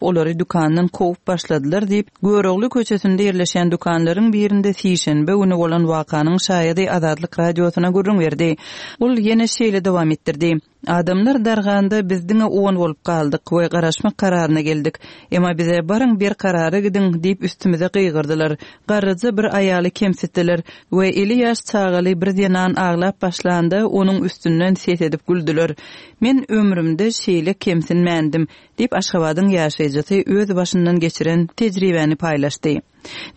Olary dükandan kowup başladylar diýip, Görogly köçesinde ýerleşýän dükanlaryň birinde sişenbe güni bolan wakanyň şaýady Azatlyk Radiosyna gürrüň berdi. Ol ýene şeýle dowam etdirdi, Adamlar darganda biz diňe on bolup galdyk we garaşmak kararyna geldik. Emma bize baryň Berkarara gidiň diýip üstümize gygyrdylar. Garryja bir aýaly kemsitdiler we eli ýaş çagaly bir zenan aglap başlanda onuň üstünden ses edip güldüler. Men ömrümde şeýle kemsinmändim. Diýip, Aşgabadyň ýaşaýjysy öz başyndan geçiren tejribäni paýlaşdy.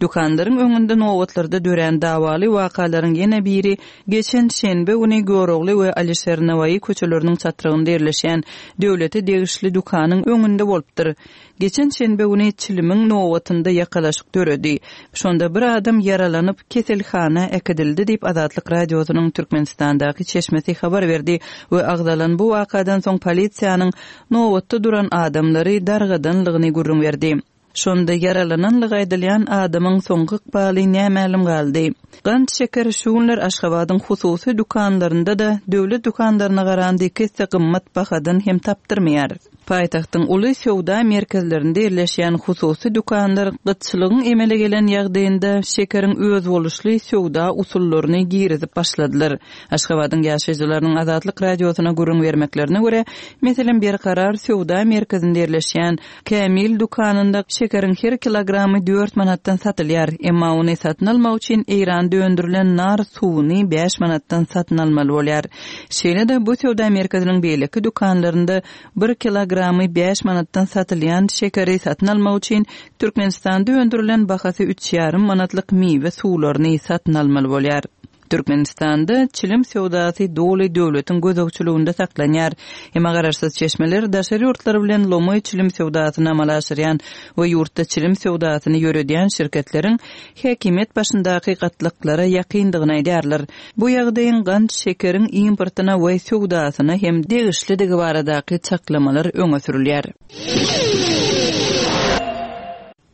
Dükanlaryň öňünde nobatlarda dörän dawaly wakalaryň ýene biri geçen şenbe güni Görogly we Alişer Nawaýy köçeleriniň çatrygynda ýerleşýän döwlete degişli dükanyň öňünde bolupdyr. Geçen şenbe güni çilimiň nobatynda ýakalaşyk döredi. Şonda bir adam ýaralanyp, keselhana äkidildi diýip, Azatlyk Radiosynyň Türkmenistandaky çeşmesi habar berdi we agzalan bu wakadan soň polisiýanyň nobatda duran adamlary dargadanlygyny gürrüň berdi. Şonda ýaralananlygy aýdylýan adamyň soňky ykbaly nämälim galdy. Gant şeker şu günler Aşgabadyň hususy dükanlarynda-da döwlet dükanlaryna garanda iki esse gymmat bahadan hem tapdyrmaýar. Paýtagtyň uly söwda merkezlerinde ýerleşýän hususy dükanlar gytçylygyň emele gelen ýagdaýynda şekeriň özboluşly söwda usullaryny girizip başladylar. Aşgabadyň ýaşaýjylarynyň Azatlyk Radiosyna gürrüň bermeklerine görä, meselem, Berkarar söwda merkezinde ýerleşýän Kämil dükanynda şekeriň her kilogramy dört manatdan satylýar, emma ony satyn almak üçin Eýranda öndürilen nar suwuny bäş manatdan satyn almaly bolýar. Şeýle-de, bu söwda merkeziniň beýleki dükanlarynda bir kilogramy bäş manatdan satylýan şekeri satyn almak üçin Türkmenistanda öndürilen bahasy üç ýarym manatlyk miwe suwlaryny satyn almaly bolýar. Türkmenistanda çilim söwdasy doly döwletiň gözegçiliginde saklanýar. Emma garaşsyz çeşmeler daşary ýurtlar bilen lomaý çilim söwdasyny amala aşyrýan we ýurtda çilim söwdasyny ýöredýän şirketleriň häkimiýet başyndaky gatlaklara ýakyndygyny aýdýarlar. Bu ýagdaýyň gant şekeriň importyna we söwdasyna hem degişlidigi baradaky çaklamalar öňe sürülýär.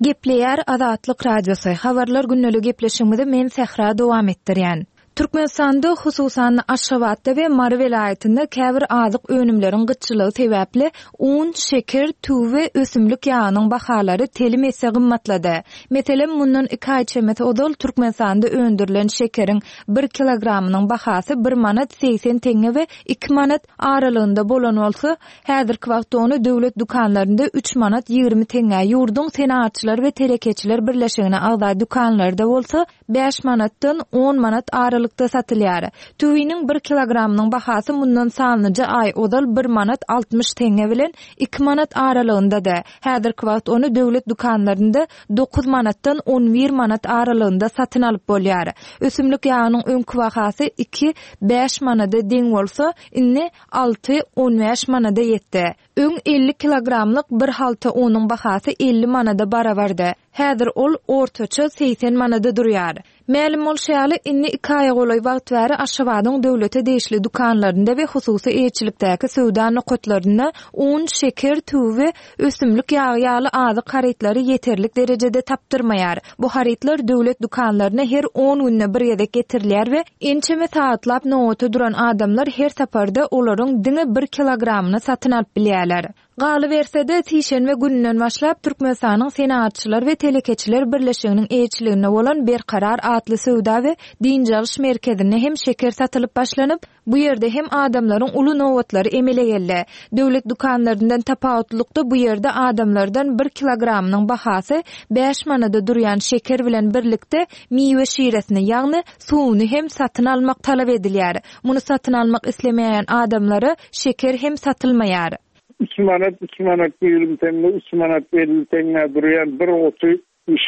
Gepleýär Azatlyk Radiosy, Habarlar gündeli gepleşigimizi men Sähra dowam etdirýän. Türkmenistanda, hususan-da Aşgabatda we Mary welaýatynda käbir azyk önümleriň gytçylygy sebäpli un, şeker, tüwi we ösümlik ýagynyň bahalary telim esse gymmatlady. Meselem, mundan iki aý çemesi ozal Türkmenistanda öndürilen şekeriň bir kilogramynyň bahasy bir manat 80 teňňe we iki manat aralygynda bolan bolsa, Häzirki wagtda ony döwlet dükanlarynda üç manat 20 teňňä, ýurduň Senagatçylar we telekeçiler birleşigine agza dükanlarda bolsa bäş manatdan on manat aralykda satylýar. Tüwiniň bir kilogramynyň bahasy mundan sanlyja aý ozal bir manat 60 teňňe bilen iki manat aralygyndady. Häzirki wagt ony döwlet dükanlarynda dokuz manatdan on bir manat aralygynda satyn alyp bolýar. Ösümlik ýagynyň öňki bahasy iki, bäş manada deň bolsa, indi alty, 15 manada ýetdi. Öň 50 kilogramlyk bir halta unuň bahasy 50 manada barabardy. Häzir ol ortaça 80 manada durýar. Mälim bolşy ýaly, indi iki aýa golaý wagt bäri Aşgabadyň döwlete degişli dükanlarynda we hususy eýeçilikdäki söwda nokatlarynda un, şeker, tüwi we ösümlik ýagy ýaly azyk harytlary ýeterlik derejede tapdyrmaýar. Bu harytlar döwlet dükanlaryna her on günde bir gezek getirilýär we ençeme sagatlap nobata duran adamlar her saparda olaryň diňe bir kilogramyny satyn alyp bilýärler. Galyberse-de, sişenbe gününden başlap, Türkmenistanyň Senagatçylar we telekeçiler birleşiginiň eýeçiliginde bolan Berkarar atly söwda we dynç alyş merkezinde hem şeker satylyp başlanyp, Bu ýerde hem adamlaryň uly nobatlary emele geldi. Döwlet dükanlaryndan tapawutlylykda bu ýerde adamlardan bir kilogramynyň bahasy bäş manada durýan şeker bilen birlikde miwe şiresini, ýagny suwuny hem satyn almak talap edilýär. Muny satyn almak islemeýän adamlara şeker hem satylmaýar. Üç manat, üç manat 20 teňňe, üç manat 50 teňňä durýan bir guty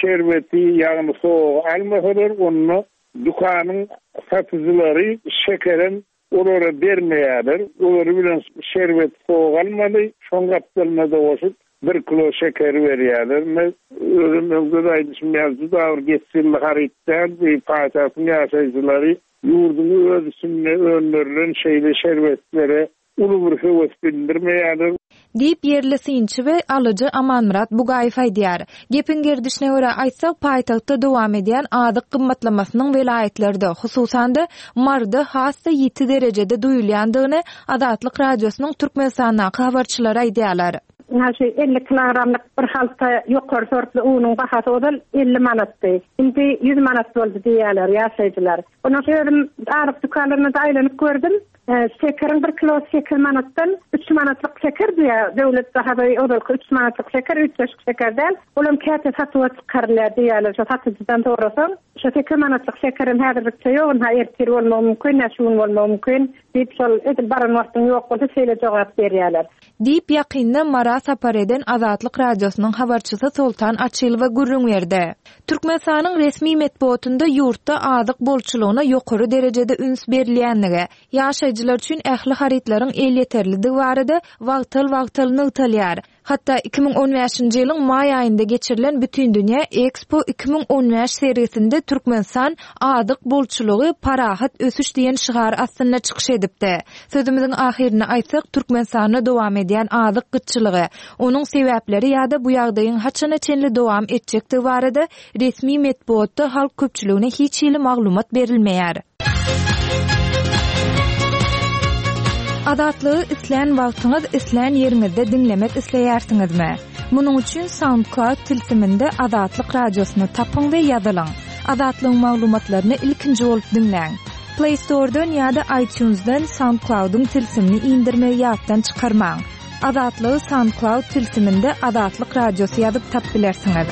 şerbeti, ýagny sogy almasalar, onda Dükanyň satyjylary şekerem olara bermeýärler. Olary bilen şerbet sowuk almaly, şoň gapdalyna-da goşup bir kilo şekeri berýärler. Men özüm öňde-de aýdyşym ýaly juda bir geçginli haryt däl. Bu paýtagtyň ýaşaýjylary ýurduň öz içinde öndürilen şeýle şerbetlere uly bir höwes bildirmeýärler. Diýip, ýerli synçy we alyjy Amanmyrat Bugaýew aýdýar. Gepiň gerdişine görä aýtsak, paýtagtda dowam edýän azyk gymmatlamasynyň welaýatlarda, hususan-da, Maryda has-da ýiti derejede duýulýandygyny Azatlyk Radiosynyň Türkmenistandaky habarçylary aýdýarlar. Ynha şu 50 kilogramlyk bir halta ýokary sortly unuň bahasy ozal 50 manatdy. Indi 100 manat boldy diýýärler ýaşaýjylar. Ondan özüm azyk dükanlarynda-da aýlanyp gördüm. Şekeriň bir kilosy sekiz manatdan, üç manatlyk şeker diýýär. Döwlet bahasy ozalky üç manatlyk şeker, üýtgeşik şeker däl. Olam käte satuwa çykarylýar diýýärler. Şo satyjydan sorasaň, şo sekiz manatlyk şekerem häzirlikçe ýok, ynha ertir bolmagy mümkin, ýa şu gün bolmagy mümkin diýip, şol edil baran wagtyň ýok bolsa şeýle jogap berýärler. Diýip, ýakynda Mara sapar eden Azatlyk Radiosynyň habarçysy Soltan Açylowa gürrüň berdi. Türkmenistanyň resmi metbugatynda ýurtda azyk bolçulygyna ýokary derejede üns berilýändigi, ýaşaýjylar üçin ähli harytlaryň elýeterlidigi barada wagtal-wagtal nygtalýar. Hatda 2015-nji ýylyň maý aýynda geçirilen Bütindünýä Ekspo 2015 sergisinde Türkmenistan Azyk bolçulygy, parahat ösüş diýen şygar astynda çykyş edipdi. Sözümiziň ahyrynda aýtsak, Türkmenistanda dowam edýän azyk gytçylygy, onuň sebäpleri ýa-da bu ýagdaýyň haçana çenli dowam etjekdigi barada resmi metbugatda halk köpçüligine hiç hili maglumat berilmeýär. Azatlygy islän wagtyňyz, islän ýeriňizde diňlemek isleýärsiňizmi? Munuň üçin SoundCloud tilsiminde Azatlyk Radiosyny tapyň we ýazylyň. Azatlygyň maglumatlaryny ilkinji bolup diňläň. Play Store-dan ýa-da iTunes-dan SoundCloud-yň tilsimini indirmegi ýatdan çykarmaň. Azatlygy SoundCloud tilsiminde Azatlyk Radiosy ýazyp tap bilersiňiz.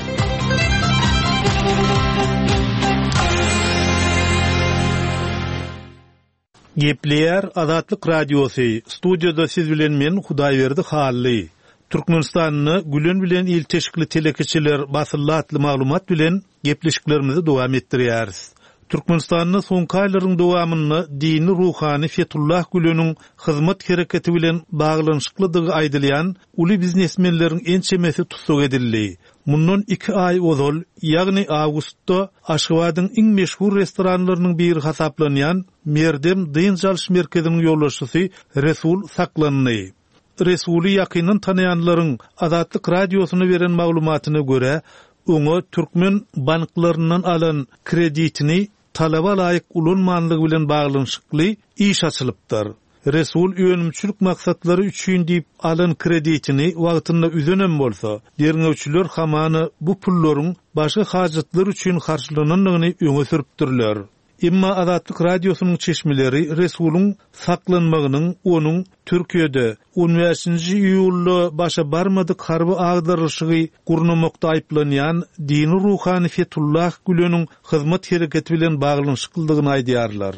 Gepleýär Azatlyk Radiosy, studiýada siz bilen men Hudaýberdi Hally. Türkmenistanda Gülen bilen ilteşikli telekeçiler basyldy atly maglumat bilen gepleşiklerimizi dowam etdirýäris. Türkmenistanda soňky aýlaryň dowamynda dini ruhany Fetullah Güleniň Hyzmat hereketi bilen baglanyşyklydygy aýdylýan uly biznesmenleriň ençemesi tussag edildi. Mundan iki aý ozal, ýagny awgustda Aşgabadyň iň meşhur restoranlarynyň biri hasaplanýan Merdem dynç alyş merkeziniň ýolbaşçysy Resul saklandy. Resuly ýakyndan tanaýanlaryň Azatlyk Radiosyna beren maglumatyna görä, oňa türkmen banklaryndan alan kreditini talaba laýyk ulanmanlygy bilen baglanyşykly iş açylypdyr. Resul önümçilik maksatlary üçin diýip alan kreditini wagtynda üzenem bolsa, derňewçiler hamana bu pullaryň başga hajatlar üçin harçlanandygyny öňe sürüpdirler. Emma Azatlyk Radiosynyň çeşmeleri Resulyň saklanmagynyň onuň Türkiýede on bäşinji iýulda başa barmadyk harby agdarylyşygy gurnamakda aýyplanýan dini ruhany Fetullah Güleniň hyzmat hereketi bilen baglanyşyklydygyny aýdýarlar.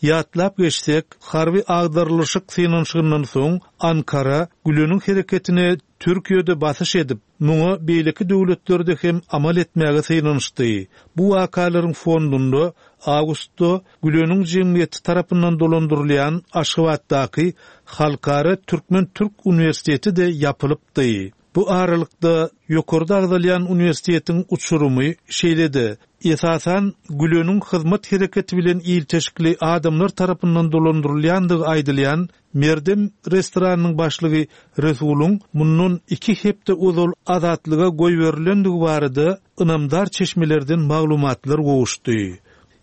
Ýatlap geçsek, harby agdarylyşyk synanyşygyndan soň Ankara Güleniň hereketine Türkiýede basyş edip, muňa beýleki döwletlerde hem amal etmäge synanyşdy. Bu wakalaryň fondunda awgustda Güleniň jemgyýeti tarapyndan dolandyrylýan Aşgabatdaky Halkara türkmen-türk uniwersiteti-de ýapylypdy. Bu aralykda, ýokarda agzalýan uniwersitetiň uçurymy, şeýle-de, esasan, Güleniň hyzmat hereketi bilen ilteşikli adamlar tarapyndan dolandyrylýandygy aýdylýan Merdem restoranynyň başlygy Resulyň mundan iki hepde ozal azatlyga goýberilendigi barada ynamdar çeşmelerden maglumatlar gowuşdy.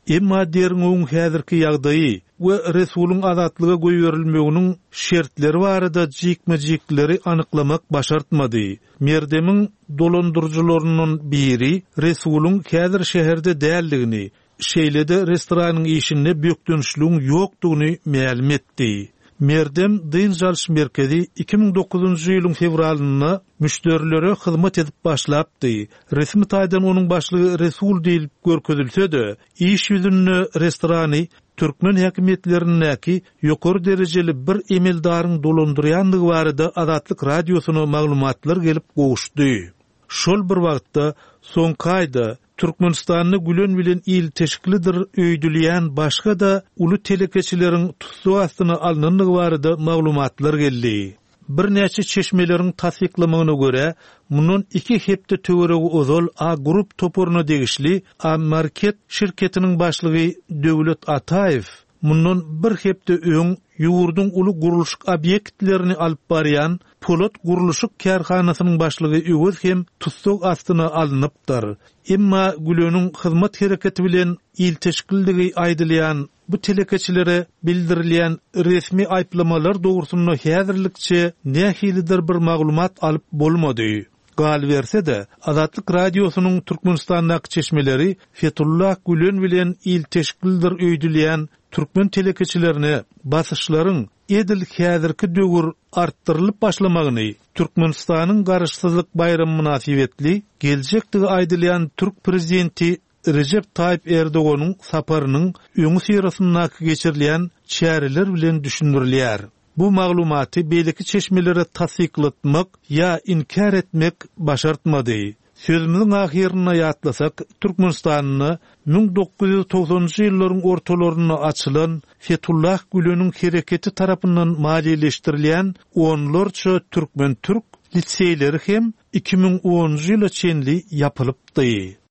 Emma derňewiň häzirki ýagdaýy we Resulyň azatlyga goýberilmeginiň şertleri barada jikme-jikleri anyklamak başartmady. Merdemiň dolandyryjylaryndan biri Resulyň häzir şäherde däldigini, şeýle-de restoranyň işinde bökdençligiň ýokdugyny mälim etdi. Merdem dynç alyş merkezi 2009-njy ýylyň fewralynda müşderilere hyzmat edip başlapdy. Resmi taýdan onuň başlygy Resul diýlip görkezilse-de, iş ýüzünde restorany türkmen häkimiýetlerindäki ýokary derejeli bir emeldaryň dolandyrýandygy barada Azatlyk Radiosyna maglumatlar gelip gowuşdy. Şol bir wagtda, soňky aýda Türkmenistanda Gülen bilen ilteşiklidir öýdülýän başga-da uly telekeçileriň tussag astyna alnandygy barada maglumatlar geldi. Birnäçe çeşmeleriň tassyklamagyna görä, mundan iki hepde töweregi ozal A Group toparyna degişli A Market şirketiniň başlygy Döwlet Ataýew. mundan bir hepde öň ýurduň uly gurluşyk obýektlerini alyp barýan Polat gurluşyk kärhanasynyň başlygy Öwez hem tussag astyna alnypdyr. Emma Güleniň hyzmat hereketi bilen ilteşiklidigi aýdylýan bu telekeçilere bildirilýän resmi aýyplamalar dogrusynda häzirlikçe nähilidir bir maglumat alyp bolmady. Galyberse-de, Azatlyk Radiosynyň Türkmenistandaky çeşmeleri Fetullah Gülen bilen ilteşiklidir öýdülýän türkmen telekeçilerine basyşlaryň edil häzirki döwür artdyrylyp başlamagyny Türkmenistanyň Garaşsyzlyk baýramy mynasybetli geljekdigi aýdylýan türk prezidenti Rejep Taýyp Erdoganyň saparynyň öňüsyrasyndaky geçirilýän çäreler bilen düşündirilýär. Bu maglumaty beýleki çeşmelere tassyklatmak ýa inkär etmek başartmady. Sözümiziň ahyrynda ýatlasak, Türkmenistanda 1990-njy ýyllaryň ortalarynda açylan Fetullah Güleniň hereketi tarapyndan maliýeleşdirilýän onlarça türkmen-türk liseýleri hem 2010-njy ýyla çenli ýapylypdy.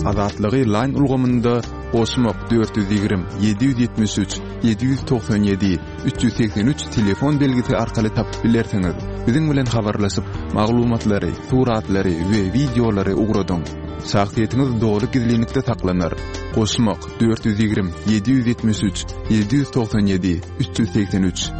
Azatlygy Line ulgamynda goşmak 420 773 797 383 telefon belgisi arkaly tapyp bilersiňiz. Biziň bilen habarlaşyp, maglumatlary, suratlary we wideolary ugradyň. Şahsyýetiňiz doly gizlinlikde saklanar. Goşmak 420 773 797 383.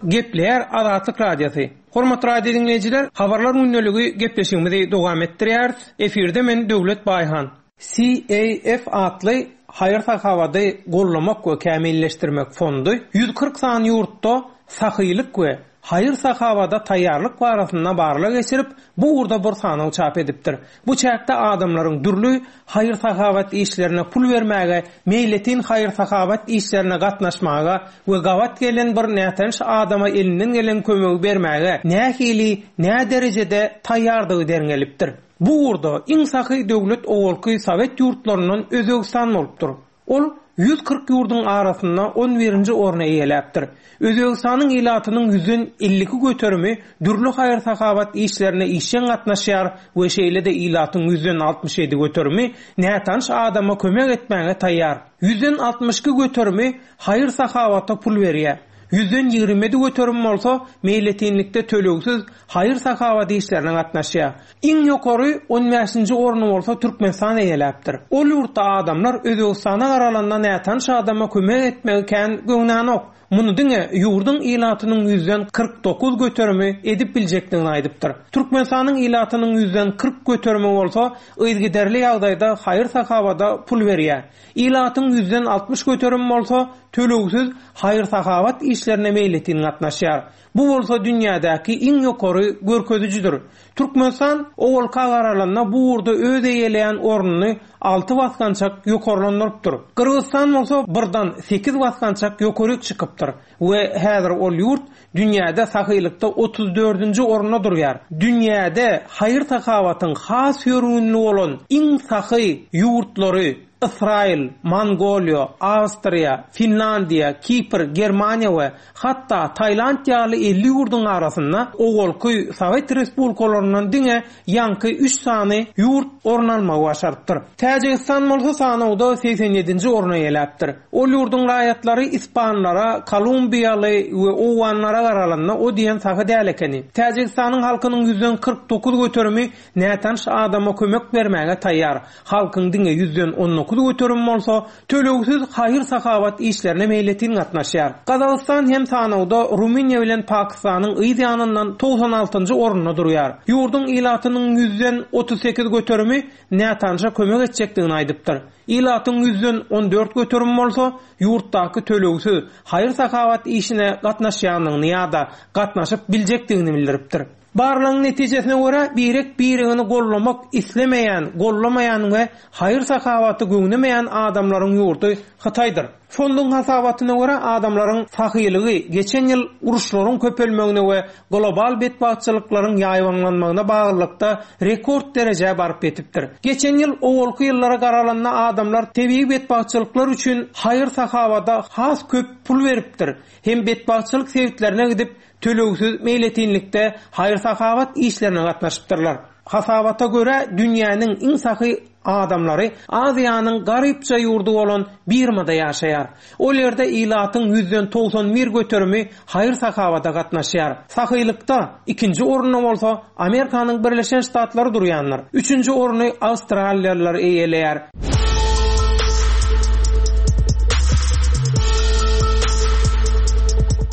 Gepleýär Azatlyk Radiosy. Hormatly radio diňleýjiler, Habarlar gündeligi gepleşigimizi dowam etdirýäris. Efirde men Döwlet Baýhan. CAF atly haýyr-sahawady gollamak we kämilleşdirmek fondy 140 sany ýurtda sahylyk we haýyr-sahawada taýýarlyk barasynda barlag geçirip, bu ugurda bir sanaw çap edipdir. Bu çäkde adamlaryň dürli haýyr-sahawat işlerine pul bermäge, meýletin haýyr-sahawat işlerine gatnaşmaga we gabat gelen bir nätanyş adama elinden gelen kömegi bermäge nähili, näderejede taýýardygy derňelipdir. Bu ugurda iň sahy döwlet owalky sowet ýurtlaryndan Özbegistan bolupdyr. Ol 140 ýurduň arasynda on birinji orny eýeläpdir. Özbegistanyň ilatynyň ýüzden 52 göterimi dürli haýyr-sahawat işlerine işjeň gatnaşýar we şeýle-de ilatyň ýüzden 67 göterimi nätanyş adama kömek etmäge taýýar. Ýüzden 62 göterimi haýyr-sahawata pul berýär. Ýüzden 27 göterimi bolsa meýletinlikde tölegsiz haýyr-sahawat işlerine gatnaşýar. Iň ýokary on bäşinji orny bolsa Türkmenistan eýeläpdir. Ol ýurtda adamlar Özbegistana garalanda nätanyş adama kömek etmegi kän göwnänok. Muny diňe ýurduň ilatynyň ýüzden 49 göterimi edip biljekdigini aýdypdyr. Türkmenistanyň ilatynyň ýüzden 40 göterimi bolsa yzgiderli ýagdaýda haýyr-sahawada pul berýär. Ilatyň ýüzden 60 göterimi bolsa tölegsiz haýyr-sahawat işlerine meýletin gatnaşýar. Bu bolsa dünýädäki iň ýokary görkezijidir. Türkmenistan owalka garalanda bu ugurda öz eýeleýän ornuny alty basgançak ýokarlandyrypdyr. Gyrgyzystan bolsa birdan sekiz basgançak ýokaryk çykypdyr we häzir ol ýurt dünýäde sahylykda otuz dördünji orunda durýar. Dünýäde haýyr-sahawatyň has ýörgünli bolan iň sahy ýurtlary Ysraýyl, Mongoliýa, Awstriýa, Finlandiýa, Kipr, Germaniýa we hatda Tailand ýaly 50 ýurduň arasynda owalky sowet respublikalaryndan diňe ýaňky üç sany ýurt orun almagy başarypdyr. Täjigistan bolsa sanawda 87-nji orny eýeläpdir. Ol ýurduň raýatlary ispanlara, kolumbiýaly we owganlara garalanda o diýen sahy däl ekeni. Täjigistanyň halkynyň ýüzden 49 göterimi nätanyş adama kömek bermäge taýýar. Halkyň diňe ýüzden on dokuz göterimi bolsa tölegsiz haýyr-sahawat işlerine meýletin gatnaşýar. Gazagystan hem sanawda Rumyniýa bilen Pakistanyň yz ýanyndan 96-njy orunda durýar. Ýurduň ilatynyň ýüzden 38 göterimi nätanyşa kömek etjekdigini aýdypdyr. Ilatyň ýüzden 14 göterimi bolsa ýurtdaky tölegsiz haýyr-sahawat işine gatnaşýandygyny ýa-da gatnaşyp biljekdigini bildiripdir. Barlagyň netijesine görä, birek-biregini gollamak islemeýän, gollamaýan we haýyr-sahawaty göwnemeýän adamlaryň ýurdy Hytaýdyr. Fonduň hasabatyna görä, adamlaryň sahylygy geçen ýyl uruşlaryň köpelmegine we global betbagtçylyklaryň ýaýbaňlanmagyna baglylykda rekord derejä baryp ýetipdir. Geçen ýyl owalky ýyllara garalanda adamlar tebigy betbagtçylyklar üçin haýyr-sahawada has köp pul beripdir hem betbagtçylyk sebitlerine gidip, tölegsiz meýletinlikde haýyr-sahawat. haýyr-sahawat işlerine gatnaşypdyrlar. Hasabata görä, dünýäniň iň sahy adamlary Aziýanyň garypja ýurdy bolan Birmada ýaşaýar. Ol ýerde ilatyň ýüzden 91 göterimi haýyr-sahawata gatnaşýar. Sahylykda ikinji orunda bolsa Amerikanyň Birleşen Ştatlary durýandyr. Üçünji orny awstraliýalylar eýeleýär.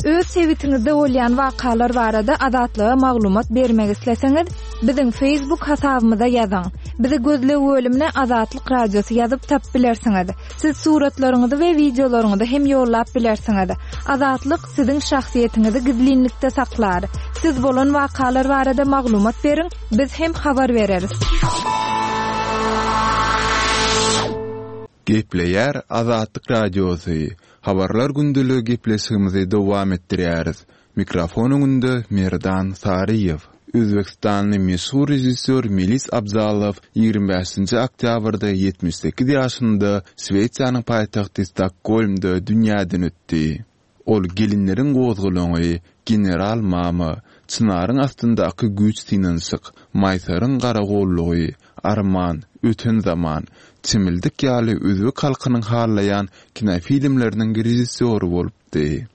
Öz sebitiňizde bolýan wakalar barada Azatlyga maglumat bermek isleseňiz, biziň Facebook hasabymyza ýazyň. Bizi gözleg bölümine Azatlyk Radiosy ýazyp tapyp bilersiňiz. Siz suratlaryňyzy we wideolaryňyzy hem ýollap bilersiňiz. Azatlyk siziň şahsyýetiňizi gizlinlikde saklar. Siz bolan wakalar barada maglumat beriň, biz hem habar bereris. Gepleýär Azatlyk Radiosy, Habarlar gündeligi gepleşigimizi dowam etdirýäris. Mikrofon öňünde Merdan Saryýew. Özbegistanly meşhur režissýor Melis Abzalow 25-nji oktýabrda 78 ýaşynda Şwesiýanyň paýtagty Stokgolmda dünýäden ötdi. Ol Gelinleriň gozgalaňy, General mama, Çynaryň astyndaky güýç synanyşyk, Maýsaryň garagollugy, Arman, Öten zaman, Çimildik ýaly özbek halkynyň halaýan kinofilmleriniň režissýory bolupdy.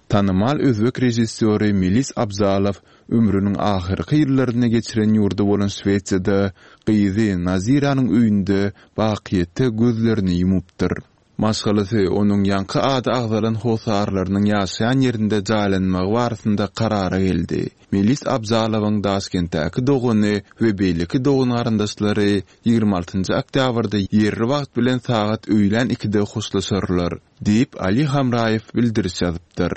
Tanymal özbek režissýory Melis Abzalow ömrüniň ahyrky ýyllaryny geçiren ýurdy bolan Şwesiýada gyzy Naziranyň öýünde bakyýetde gözlerini ýumupdyr. Maşgalasy onuň ýaňky ady agzalan hossarlarynyň ýaşaýan ýerinde jaýlanmagy barasynda karara geldi. Melis Abzalowyň Daşkentdäki dogany we beýleki dogan-garyndaşlary 26 oktýabrda ýerli wagt bilen sagat öýlän ikide hoşlaşarlar. Diýip, Ali Hamraýew bildiriş ýazypdyr.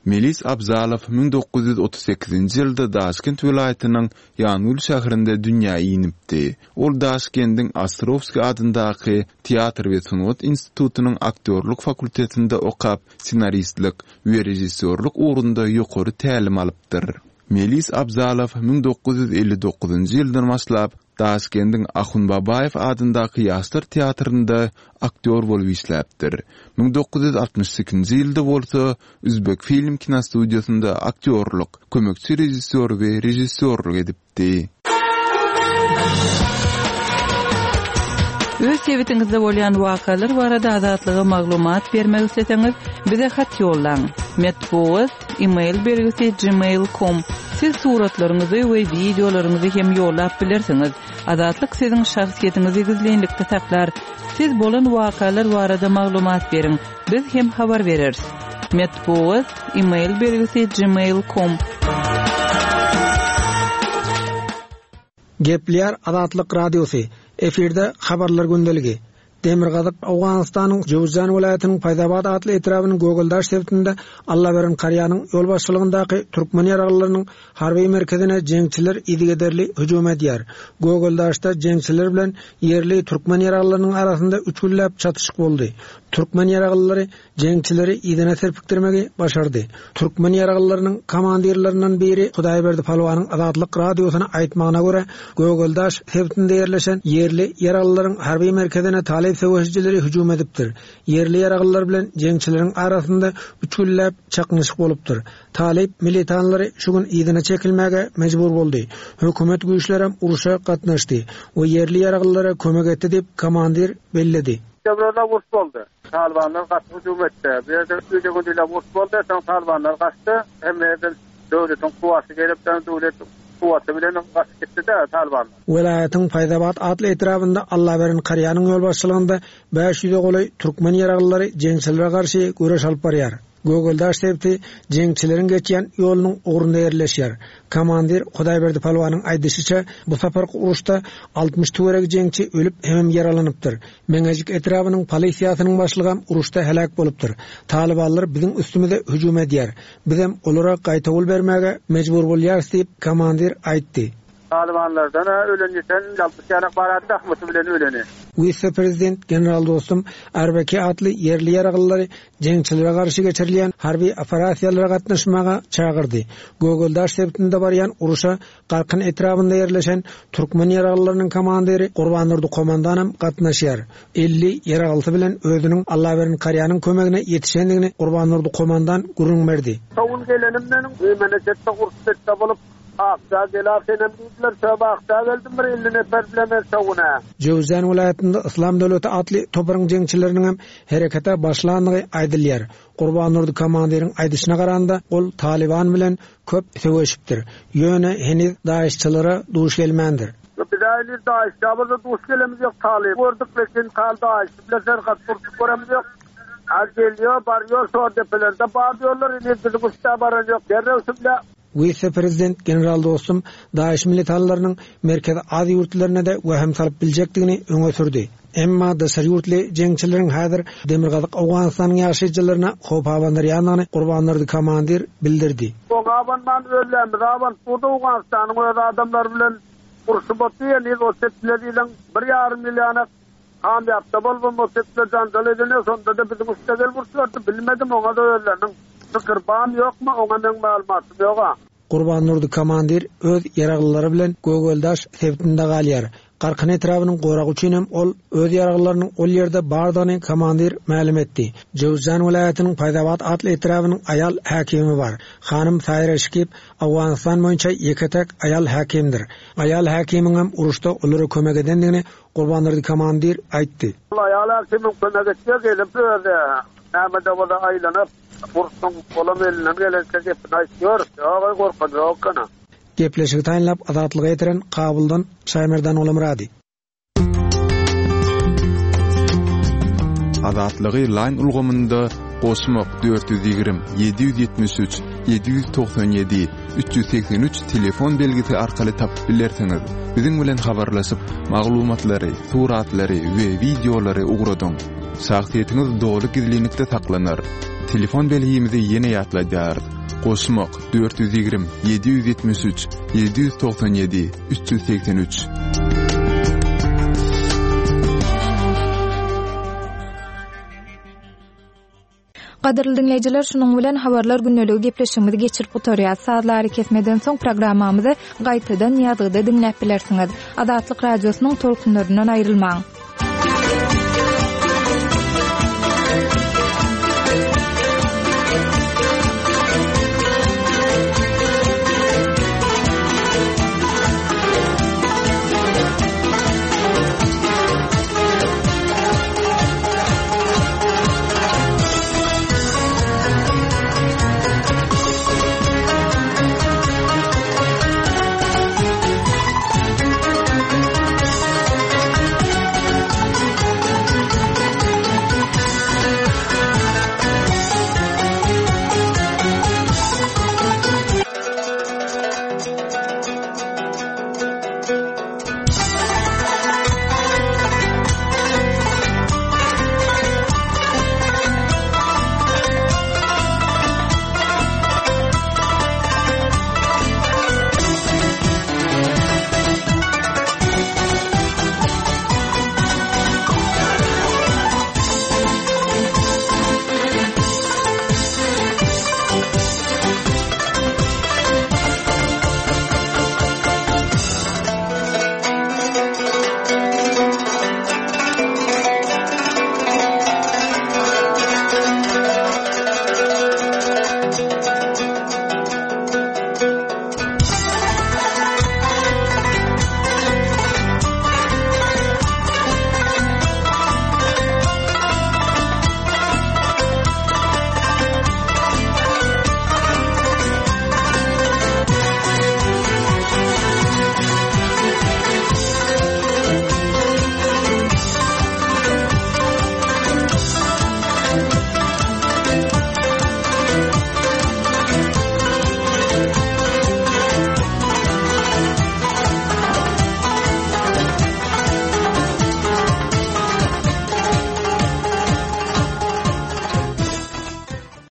Melis Abzalow 1938-nji ýylda Daşkent welaýatynyň Ýangül şäherinde dünýä inipdi. Ol Daşkendiň Ostrowskiý adyndaky teatr we sungat institutynyň aktýorlyk fakultetinde okap, ssenaristlik we režissýorlyk ugrunda ýokary tälim alypdyr. Melis Abzalow 1959-njy ýyldan başlap, Daşkendiň Ahunbabaýew adyndaky Ýaşlar teatrynda aktýor bolup işläpdir. 1962-nji ýylda bolsa Uzbekfilm kinostudiýasynda aktýorlyk, kömekçi režissýor we režissýorlyk edipdi. Öz sebitiňizde bolýan wakalar barada Azatlyga maglumat bermek isleseňiz, bize hat ýollaň. Metbugat Email belgisi gmail com Siz suratlaryňyzy we wideolaryňyzy hem ýollap bilersiňiz. Azatlyk siziň şahsyýetiňizi gizlinlikde saklar. Siz bolan wakalar barada maglumat beriň, biz hem habar bereris. Metbugat, Email belgisi gmail com. Gepleýär Azatlyk Radiosy, efirde Habarlar gündeligi. Demirgazyk Owganystanyň Jöwüzjan welaýatynyň Paýzabad atly etrabynyň Gögeldaş sebitinde Allaberen Karýanyň ýolbaşçylygyndaky türkmen ýaraglylarynyň harby merkezine jeňçiler yzygiderli hüjüm edýär. Gögeldaşda jeňçiler bilen ýerli türkmen ýaraglylarynyň arasynda üç günläp çatyşyk boldy. Türkmen ýaraglylary jeňçileri yzyna serpikdirmegi başardy. Türkmen ýaraglylarynyň komandirlerinden biri Hudaýberdi Palwanyň Azatlyk Radiosyna aýtmagyna görä, Gögeldaş sebitinde ýerleşen ýerli ýaraglylaryň harby merkezine talyp söweşijileri hüjüm edipdir. Ýerli ýaraglylar bilen jeňçileriň arasynda üç günläp çaknyşyk bolupdyr. Talyp militanlary şu gün yzyna çekilmäge mejbur boldy. Hökümet güýçlerem urşa gatnaşdy we ýerli ýaraglylara kömek etdi diýip, komandir belledi. Töweregde uruş boldy. Talybanlar gaty hüjüm etdi. Bu ýerde gije-gündizläp uruş boldy. Soň talybanlar gaçdy. Hemme ýerden döwletiň kuwwaty gelip, soň döwlet kuwwaty bilen gaçyp gitdi-de talybanlar. Welaýatyň Paýzabat atly etrabynda Allaberen Karýanyň ýolbaşçylygynda 500-e golaý türkmen ýaraglylary jeňçilere garşy göreş alyp barýar. Gögeldaş sebiti jeňçileriň geçýän ýolunyň ugrunda ýerleşýär. Komandir Hudaýberdi Palwanyň aýdyşyça, bu saparky uruşda 60 töweregi jeňçi ölüp hemem ýaralanypdyr. Meňejik etrabynyň polisiýasynyň başlygam uruşda heläk bolupdyr. Talybanlar biziň üstümize hüjüm edýär. Bizem olara gaýtawul bermäge mejbur bolýarys diýip, komandir aýtdy. Talybanlardan-a ölen ýiten 60 ýanak bar-a dahmysy bilen öleni. Wise-prezident general Dostum Arbeki atly ýerli ýaraglylary jeňçilere garşy geçirilýän harby operasiýalara gatnaşmaga çagyrdy. Gögeldaş sebitinde barýan uruşa Garkyn etrabynda ýerleşen türkmen ýaraglylarynyň komandiri Gurbandurdy komandanam gatnaşýar. 50 ýaraglysy bilen özüniň Allaberen Karýanyň kömegine ýetişendigini Gurbandurdy komandan gürrüň berdi. Şo gün gelenim meniň Meýmeneçetde uruş betde bolup. Akja gel-a senem diýdiler. Şöp Akja geldim bir 50 neper bile men şo gün-ä. Jöwüzjan welaýatynda Yslam döwleti atly toparyň jeňçileriniňem herekete başlandygy aýdylýar. Gurbandurdy komandiriň aýdyşyna garanda, ol Talyban bilen köp söweşipdir. Ýöne heniz daişçilere duş gelmändir. Ýok, biz-ä heniz daişçä bolsa duş gelemizok. ýok. Talyby gördük, lekin tal daişçi bilen serhat urşup göremiz ýok. A gelýär, barýar, şo depelerde bar diýýärler, heniz biziň üste baran ýok. Derrew şunda. Wise-prezident general Dostum DAIŞ militanlarynyň Merkezi Aziýa ýurtlaryna-da wehim salyp biljekdigini öňe sürdi. Emma daşary ýurtly jeňçileriň häzir Demirgazyk Owganystanyň ýaşaýjylaryna howp abandyrýandygyny Gurbandurdy komandir bildirdi. Oňa abanman özlerimiz abanyp durdy Owganystanyň öz adamlary bilen urşup otyr heniz o çetler ýylyň bir ýarym ýyl ýanak Kamýapda bolubam o çetler janjal edene şondada biziň üste gelip urşardy bilmedim oňada özleriniň pikir bamy ýokmy oňa meň maglumatym ýoga. Gurbandurdy komandir öz ýaraglylary bilen Gögeldaş sebitinde galýar. Garkyn etrabynyň goragy üçin hem ol öz ýaraglylarynyň ol ýerde bardygyny komandir mälim etdi. Jöwüzjan welaýatynyň Paýzabat atly etrabynyň aýal häkimi bar. Hanym Saýra Şikip Owganystan boýunça ýeke-täk aýal häkimdir. Aýal häkimiň hem uruşda olara kömek edendigini Gurbandurdy komandir aýtdy. Ol aýal häkimiň kömek etjek gelip özi näme-de bolsa aýlanyp urşuň olam elinden gelençe gepini aýtýar. Ýok-aý gorkan ýok ekeni. Gepleşigi taýynlap Azatlyga ýetiren Kabuldan Şaýmerdan Olamyrady. Azatlygy Line ulgamynda goşmak 420 773 797 383 telefon belgisi arkaly tapyp bilersiňiz. Biziň bilen habarlaşyp, maglumatlary, suratlary we wideolary ugradyň. Şahsyýetiňiz doly gizlinlikde saklanar. Telefon belgimizi ýene ýatladýarys. Goşmak, 420 773 797 383. Gadyrly diňleýjiler, şunuň bilen Habarlar gündeligi gepleşigimizi geçirip gutarýas. Sazly arakesmeden soň programmamyzy gaýtadan ýazgyda diňläp bilersiňiz. Azatlyk Radiosynyň tolkunlaryndan aýrylmaň!